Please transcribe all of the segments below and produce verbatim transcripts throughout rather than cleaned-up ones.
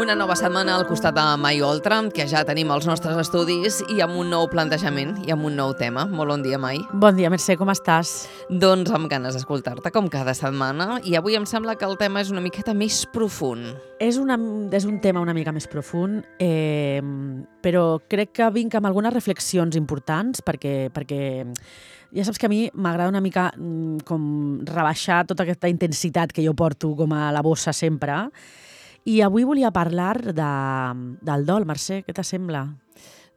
Una nova setmana al costat de My Oltra, que ja tenim els nostres estudis i amb un nou plantejament i amb un nou tema. Molt bon dia, Mai. Bon dia, Mercè, com estàs? Doncs amb ganes d'escoltar-te, com cada setmana, i avui em sembla que el tema és una miqueta més profund. És, una, és un tema una mica més profund, eh, però crec que vinc amb algunes reflexions importants perquè, perquè ja saps que a mi m'agrada una mica com rebaixar tota aquesta intensitat que jo porto com a la bossa sempre. I avui volia parlar de, del dol, Mercè, què t'assembla?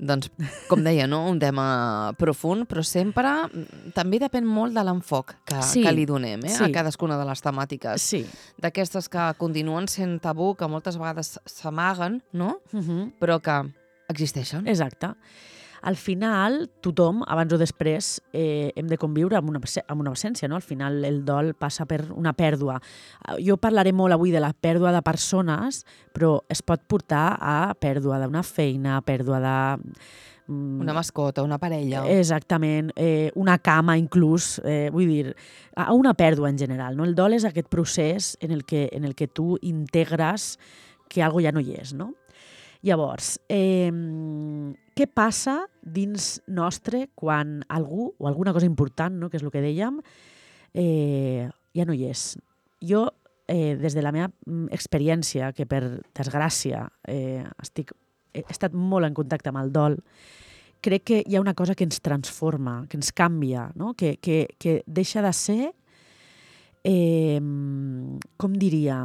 Doncs, com deia, no? Un tema profund, però sempre també depèn molt de l'enfoc que, sí, que li donem eh? sí. a cadascuna de les temàtiques. Sí. D'aquestes que continuen sent tabú, que moltes vegades s'amaguen, no? Uh-huh. Però que existeixen. Exacte. Al final, tothom, abans o després, eh, hem de conviure amb una, amb una absència, no? Al final, el dol passa per una pèrdua. Jo parlaré molt avui de la pèrdua de persones, però es pot portar a pèrdua d'una feina, pèrdua de... Una mascota, una parella. Exactament, eh, una cama inclús, eh, vull dir, a una pèrdua en general. No? El dol és aquest procés en el que, en el que tu integres que algo ja no hi és, no? Llavors, eh, què passa dins nostre quan algú, o alguna cosa important, no, que és el que dèiem, eh, ja no hi és? Jo, eh, des de la meva experiència, que per desgràcia eh, estic, he estat molt en contacte amb el dol, crec que hi ha una cosa que ens transforma, que ens canvia, no? que, que, que deixa de ser, eh, com diria,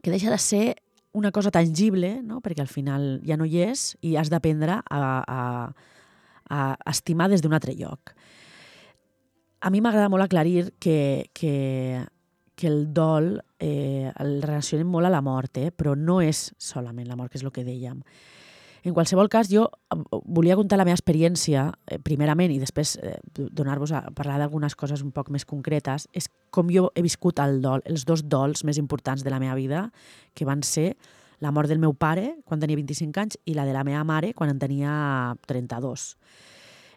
que deixa de ser una cosa tangible, no? Perquè al final ja no hi és i has d'aprendre a, a, a estimar des d'un altre lloc. A mi m'agrada molt aclarir que, que, que el dol eh, el relacionem molt a la mort, eh? Però no és solament la mort, que és el que dèiem. En qualsevol cas, jo volia contar la meva experiència, eh, primerament, i després eh, donar-vos a parlar d'algunes coses un poc més concretes, és com jo he viscut el dol, els dos dols més importants de la meva vida, que van ser la mort del meu pare, quan tenia vint-i-cinc anys, i la de la meva mare, quan en tenia trenta-dos.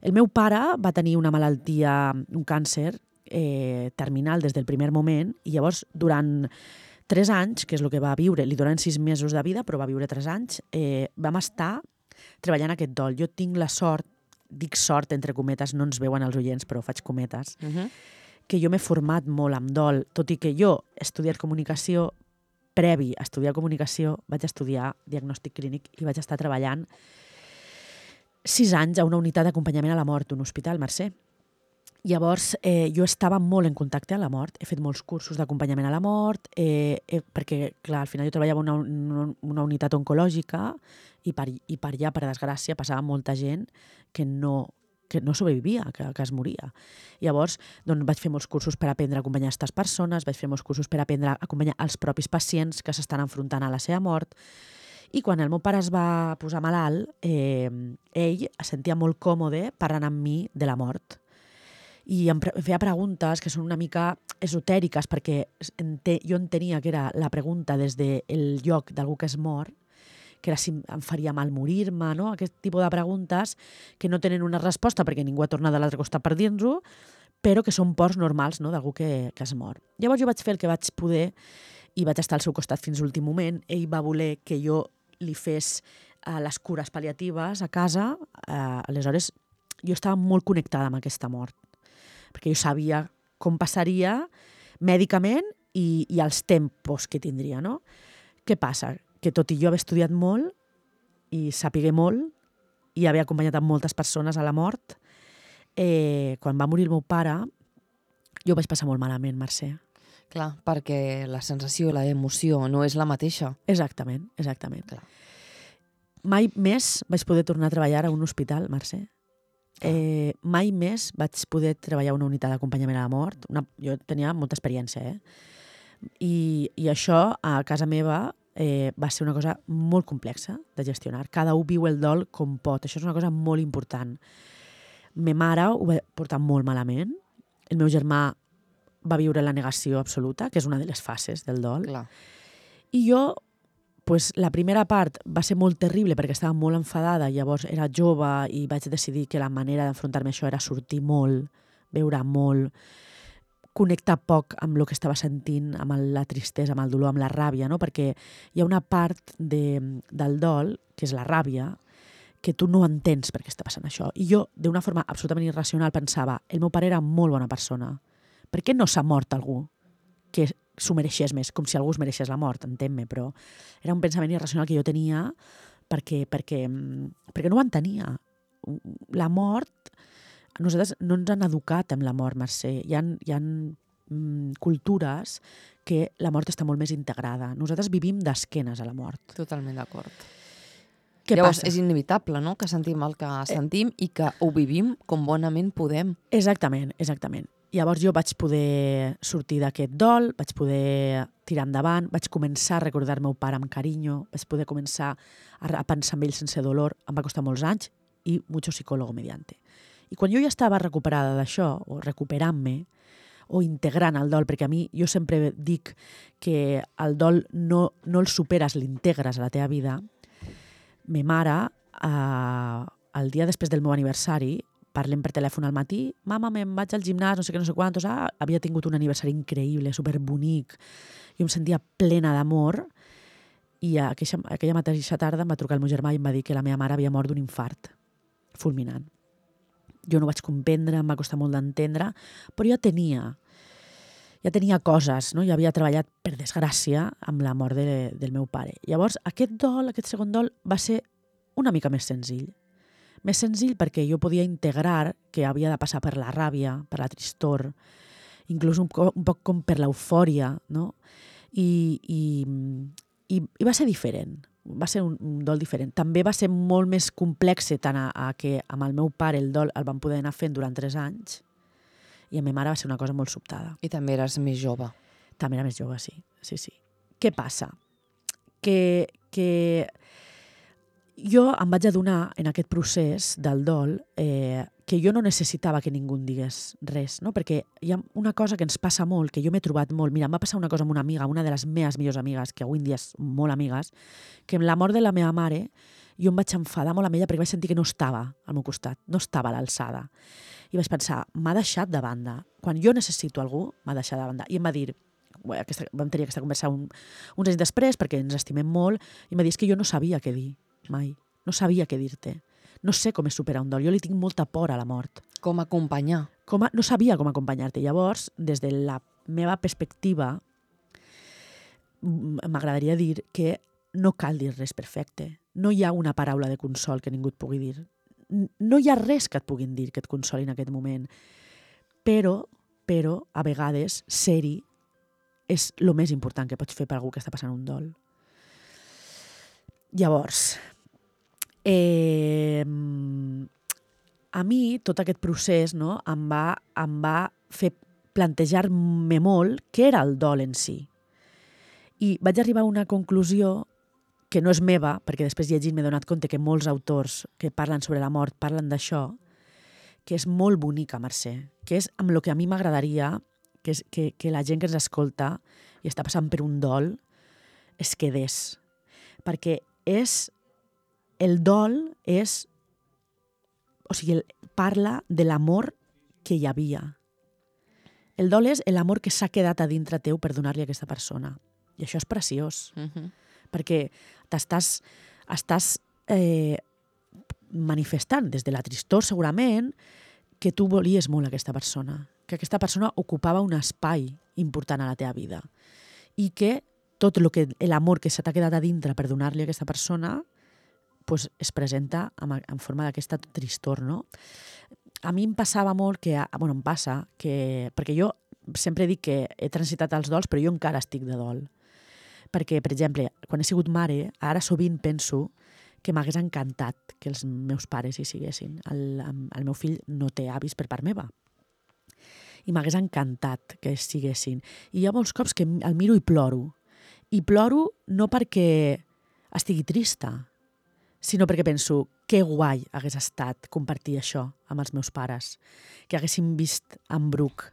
El meu pare va tenir una malaltia, un càncer eh, terminal des del primer moment, i llavors, durant tres anys, que és el que va viure, li donen sis mesos de vida, però va viure tres anys, eh, vam estar treballant aquest dol. Jo tinc la sort, dic sort entre cometes, no ens veuen els oients, però faig cometes, uh-huh. que jo m'he format molt amb dol, tot i que jo he estudiat comunicació, previ a estudiar comunicació, vaig estudiar diagnòstic clínic i vaig estar treballant sis anys a una unitat d'acompanyament a la mort d'un hospital, Mercè. Llavors, eh, jo estava molt en contacte amb la mort. He fet molts cursos d'acompanyament a la mort, eh, eh, perquè, clar, al final jo treballava en una, una, una unitat oncològica i per, i per allà, per desgràcia, passava molta gent que no, que no sobrevivia, que, que es moria. Llavors, doncs, vaig fer molts cursos per aprendre a acompanyar aquestes persones, vaig fer molts cursos per aprendre a acompanyar els propis pacients que s'estan enfrontant a la seva mort. I quan el meu pare es va posar malalt, eh, ell es sentia molt còmode parlant amb mi de la mort. I em feia preguntes que són una mica esotèriques, perquè ente, jo entenia que era la pregunta des del lloc d'algú que es mor, que era si em faria mal morir-me, no? Aquest tipus de preguntes que no tenen una resposta perquè ningú ha tornat de l'altre costat per dir-nos-ho, però que són pors normals, no? D'algú que, que es mor. Llavors jo vaig fer el que vaig poder i vaig estar al seu costat fins a l'últim moment. Ell va voler que jo li fes uh, les cures pal·liatives a casa. Uh, aleshores, jo estava molt connectada amb aquesta mort, perquè jo sabia com passaria mèdicament i, i els tempos que tindria, no? Què passa? Que tot i jo haver estudiat molt i sapigué molt i haver acompanyat a moltes persones a la mort, eh, quan va morir el meu pare, jo vaig passar molt malament, Mercè. Clar, perquè la sensació, la emoció no és la mateixa. Exactament, exactament. Clar. Mai més vaig poder tornar a treballar a un hospital, Mercè. Eh, mai més vaig poder treballar a una unitat d'acompanyament a la mort. Una, jo tenia molta experiència, eh? I, i això a casa meva eh, va ser una cosa molt complexa de gestionar. Cada un viu el dol com pot. Això és una cosa molt important. Ma mare ho va portar molt malament. El meu germà va viure la negació absoluta, que és una de les fases del dol. Clar. I jo, pues, la primera part va ser molt terrible perquè estava molt enfadada, llavors era jove i vaig decidir que la manera d'enfrontar-me a això era sortir molt, beure molt, connectar poc amb el que estava sentint, amb la tristesa, amb el dolor, amb la ràbia, no? Perquè hi ha una part de, del dol, que és la ràbia, que tu no entens per què està passant això. I jo, d'una forma absolutament irracional, pensava, el meu pare era molt bona persona. Per què no s'ha mort algú que s'ho mereixés més? Com si algú es mereixés la mort, entén-me, però era un pensament irracional que jo tenia perquè, perquè, perquè no ho entenia. La mort, nosaltres no ens han educat amb la mort, Mercè. Hi ha, hi ha mm, cultures que la mort està molt més integrada. Nosaltres vivim d'esquenes a la mort. Totalment d'acord. Què Llavors, passa? és inevitable, no?, que sentim el que sentim i que ho vivim com bonament podem. Exactament, exactament. Llavors jo vaig poder sortir d'aquest dol, vaig poder tirar endavant, vaig començar a recordar el meu pare amb carinyo, vaig poder començar a pensar en ell sense dolor, em va costar molts anys, i mucho psicólogo mediante. I quan jo ja estava recuperada d'això, o recuperant-me, o integrant el dol, perquè a mi jo sempre dic que el dol no, no el superes, l'integres a la teva vida. Ma mare, eh, el dia després del meu aniversari, parlem per telèfon al matí, mama, me'n vaig al gimnàs, no sé què, no sé quantos, ah, havia tingut un aniversari increïble, superbonic, jo em sentia plena d'amor, i aquella, aquella mateixa tarda em va trucar el meu germà i em va dir que la meva mare havia mort d'un infart fulminant. Jo no vaig comprendre, em va costar molt d'entendre, però ja tenia, ja tenia coses, no? Ja havia treballat, per desgràcia, amb la mort de, del meu pare. Llavors, aquest dol, aquest segon dol, va ser una mica més senzill. Més senzill perquè jo podia integrar que havia de passar per la ràbia, per la tristor, inclús un, un poc com per l'eufòria, no? I, i, i, i va ser diferent. Va ser un, un dol diferent. També va ser molt més complex tant a, a que amb el meu pare el dol el vam poder anar fent durant tres anys i amb ma mare va ser una cosa molt sobtada. I també eres més jove. També era més jove, sí. sí, sí. Què passa? Que, que jo em vaig adonar en aquest procés del dol eh, que jo no necessitava que ningú em digués res, no? Perquè hi ha una cosa que ens passa molt, que jo m'he trobat molt. Mira, em va passar una cosa amb una amiga, una de les meves millors amigues, que avui en dia és molt amigues, que amb la mort de la meva mare jo em vaig enfadar molt amb ella perquè vaig sentir que no estava al meu costat, no estava a l'alçada. I vaig pensar, m'ha deixat de banda. Quan jo necessito algú, m'ha deixat de banda. I em va dir, bé, aquesta, vam tenir aquesta conversa un, uns anys després, perquè ens estimem molt, i em va dir, és que jo no sabia què dir, mai. No sabia què dir-te. No sé com és superar un dol. Jo li tinc molta por a la mort. Com acompanyar. Com a, no sabia com acompanyar-te. Llavors, des de la meva perspectiva, m'agradaria dir que no cal dir res perfecte. No hi ha una paraula de consol que ningú et pugui dir. No hi ha res que et puguin dir que et consoli en aquest moment. Però, però a vegades, ser-hi és el més important que pots fer per algú que està passant un dol. Llavors, eh, a mi tot aquest procés, no, em va, em va fer plantejar-me molt què era el dol en si. I vaig arribar a una conclusió que no és meva, perquè després llegint m'he donat compte que molts autors que parlen sobre la mort parlen d'això, que és molt bonica, Mercè, que és amb el que a mi m'agradaria que, és, que, que la gent que ens escolta i està passant per un dol es quedés. Perquè és, el dol és, o sigui, el, parla de l'amor que hi havia. El dol és l'amor que s'ha quedat a dintre teu per donar-li a aquesta persona. I això és preciós. Uh-huh. Perquè t'estàs estàs, eh, manifestant des de la tristor segurament que tu volies molt aquesta persona, que aquesta persona ocupava un espai important a la teva vida i que tot lo que, l'amor que se t'ha quedat a dintre per donar-li a aquesta persona pues, es presenta en, en forma d'aquesta tristor, no? A mi em passava molt que, bueno, em passa que, perquè jo sempre dic que he transitat els dols, però jo encara estic de dol. Perquè, per exemple, quan he sigut mare, ara sovint penso que m'hagués encantat que els meus pares hi siguessin. El, el meu fill no té avis per part meva. I m'hagués encantat que hi siguessin. I hi ha molts cops que el miro i ploro. I ploro no perquè estigui trista, sinó perquè penso que guai hagués estat compartir això amb els meus pares, que haguéssim vist en Bruc,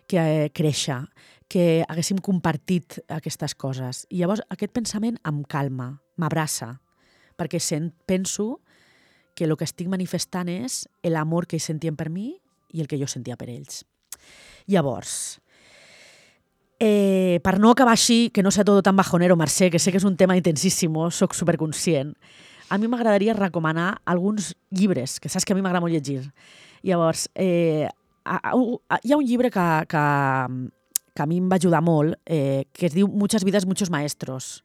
que créixer, que haguéssim compartit aquestes coses. I llavors aquest pensament em calma, m'abraça, perquè sent, penso que el que estic manifestant és l'amor que ells sentien per mi i el que jo sentia per ells. Llavors, eh, per no acabar així, que no sea todo tan bajonero, Mercè, que sé que és un tema intensíssim, soc superconscient, a mi m'agradaria recomanar alguns llibres, que saps que a mi m'agrada molt llegir. Llavors, eh, a, a, hi ha un llibre que, que, que a mi em va ajudar molt, eh, que es diu Muchas vidas, muchos maestros,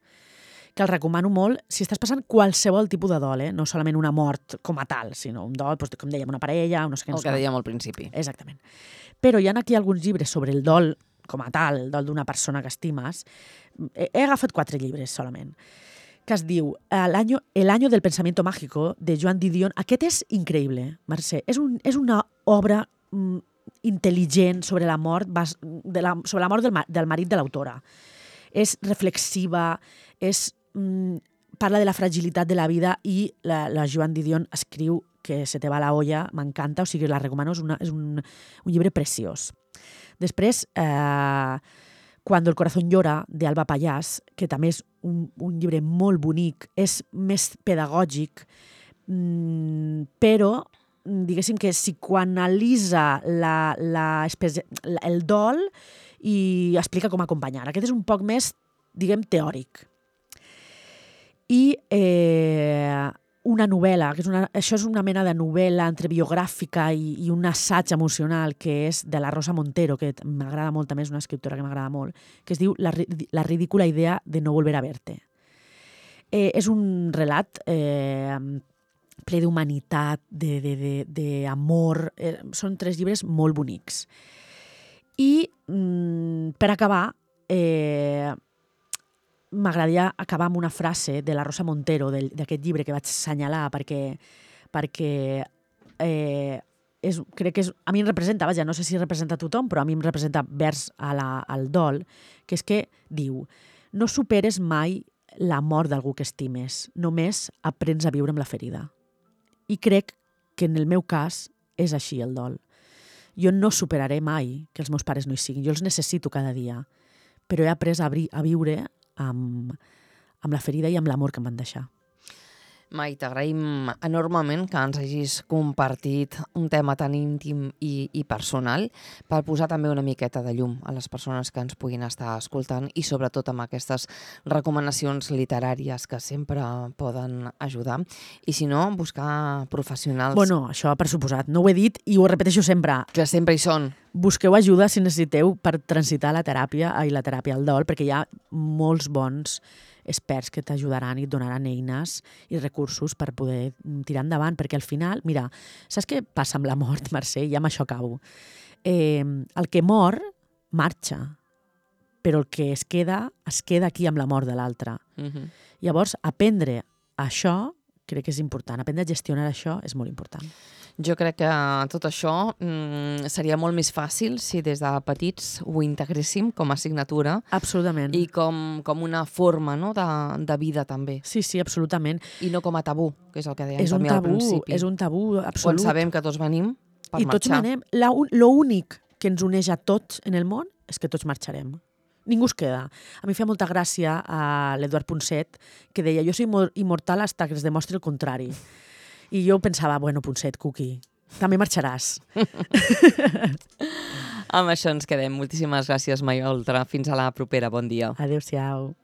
que el recomano molt si estàs passant qualsevol tipus de dol, eh? No solament una mort com a tal, sinó un dol, doncs, com dèiem, una parella, no sé què. El que dèiem al principi. Exactament. Però hi ha aquí alguns llibres sobre el dol com a tal, el dol d'una persona que estimes. He, he agafat quatre llibres solament, que es diu El año, el año del pensamiento mágico, de Joan Didion. Aquest és increïble, Mercè. És, un, és una obra mm, intel·ligent sobre la mort, de la, sobre la mort del, del marit de l'autora. És reflexiva, és mm, parla de la fragilitat de la vida i la, la Joan Didion escriu que se te va la olla, m'encanta, o sigui, la recomano, és, una, és un, un llibre preciós. Després, eh, Cuando el corazón llora, d'Alba Pallàs, que també és un, un llibre molt bonic, és més pedagògic, mm, però diguéssim que psicoanalitza la, la, la, el dol i explica com acompanyar. Aquest és un poc més, diguem, teòric. I eh, una novel·la, que és una, això és una mena de novel·la entre biogràfica i, i un assaig emocional, que és de la Rosa Montero, que m'agrada molt, també és una escriptora que m'agrada molt, que es diu La, la ridícula idea de no volver a verte. Eh, és un relat eh, ple d'humanitat, d'amor, eh, són tres llibres molt bonics. I, mm, per acabar, eh, m'agradaria acabar amb una frase de la Rosa Montero, d'aquest llibre que vaig assenyalar, perquè, perquè eh, és, crec que és, a mi em representa, vaja, no sé si representa a tothom, però a mi em representa vers a la, al dol, que és que diu: no superes mai la mort d'algú que estimes, només aprens a viure amb la ferida. I crec que en el meu cas és així el dol. Jo no superaré mai que els meus pares no hi siguin, jo els necessito cada dia, però he après a, a viure amb, amb la ferida i amb l'amor que em van deixar. Mai, t'agraïm enormement que ens hagis compartit un tema tan íntim i, i personal per posar també una miqueta de llum a les persones que ens puguin estar escoltant i sobretot amb aquestes recomanacions literàries que sempre poden ajudar. I si no, buscar professionals... Bueno, això per suposat. No ho he dit i ho repeteixo sempre. Que sempre hi són. Busqueu ajuda si necessiteu per transitar la teràpia i la teràpia al dol, perquè hi ha molts bons experts que t'ajudaran i et donaran eines i recursos per poder tirar endavant, perquè al final, mira, saps què passa amb la mort, Mercè? I amb això acabo. Eh, el que mor, marxa, però el que es queda, es queda aquí amb la mort de l'altre. Uh-huh. Llavors, aprendre això crec que és important. Aprendre a gestionar això és molt important. Jo crec que tot això mm, seria molt més fàcil si des de petits ho integréssim com a assignatura. Absolutament. I com, com una forma, no?, de, de vida també. Sí, sí, absolutament. I no com a tabú, que és el que dèiem és també tabú, al principi. És un tabú absolut. Quan sabem que tots venim per I marxar. tots venim. L'únic que ens uneix a tots en el món és que tots marxarem. Ningú es queda. A mi feia molta gràcia a l'Eduard Ponset, que deia: jo soy immortal hasta que es demostri el contrari. I jo pensava, bueno, Ponset, Cuqui, també marxaràs. Amb això ens quedem. Moltíssimes gràcies, Maioltra. Fins a la propera. Bon dia. Adéu-siau.